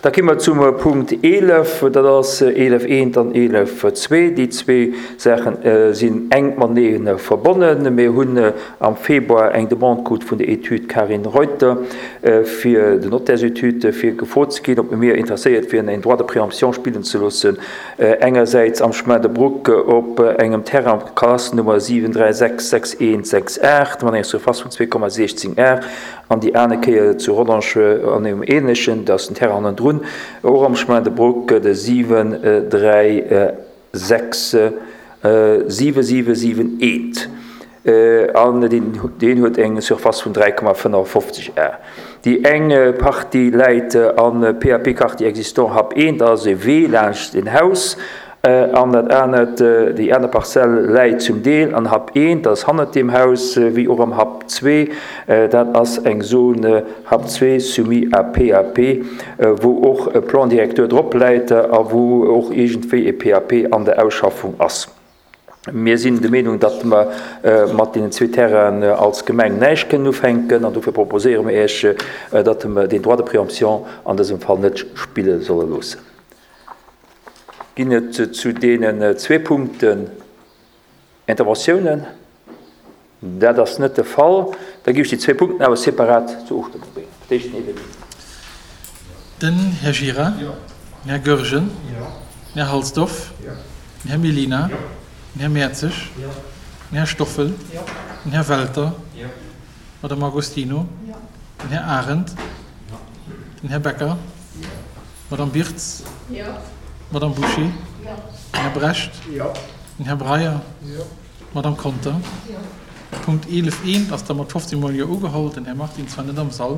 Da gi mer zum Punkt 11, dat ass 11 eent an 11 zwee. Déi zwee Saache sinn enk matenee verbonnen. Mir hunn am Februar eng Demande krut vun der Etüd Karin Reuter fir den Notairesetüde fir gefrot ze ginn, ob mir interesséiert wieren, en Droit de préemption spillen ze loossen, engersäits am Chemin de Brouck op engem Terrain op Kadaster Nummer 7366168 mat enger Surface vun 2,16 Ar an déi aner Kéier zu Rodange an engem änlechen, dat ass den Terrain hannendrun, och am Chemin de Brouck, de 736 7771. An deen huet eng Surface vun 3,55 Ar. Déi eng Partie läit am PAP Quartier existant Hab 1, dat ass e Wee laanscht en Haus. An dat anert, déi aner Parzell läit zum Deel an Hab 1, dat ass hannert deem Haus, wéi och am Hab 2, dat ass eng Zone Hab 2 soumis à PAP, wou och e Plan directeur drop läit a wou och iergendwéi e PAP an der Ausschaffung ass. Mir sinn der Meenung, datt mer mat deenen zwee Terrainen als Gemeng näischt kënnen ufänken an dofir proposéiere mer Iech, datt mer deen Droit de préemption an dësem Fall net spille solle loossen. Ginn et zu deenen zwee Punkten Interventiounen? Dat ass net de Fall. Da géif ech déi zwee Punkten awer separat zur Ofstëmmung bréngen. Fir d'éischt den Evenement. Den Här Gira. Den Här Goergen. Den Här Halsdorf. Den Här Mellina. Den Här Mertzig. Den Här Stoffel. Den Här Welter. D'Madame Agostino. Den Här Arendt. Den Här Becker. D'Madame Birtz. D'Madame Bouché. Den Här Brecht. Den Här Breyer. D'Madame Conter. Punkt 11 eent ass da mat 15 mol Jo ugeholl. Den Här Martin zwar net am Sall.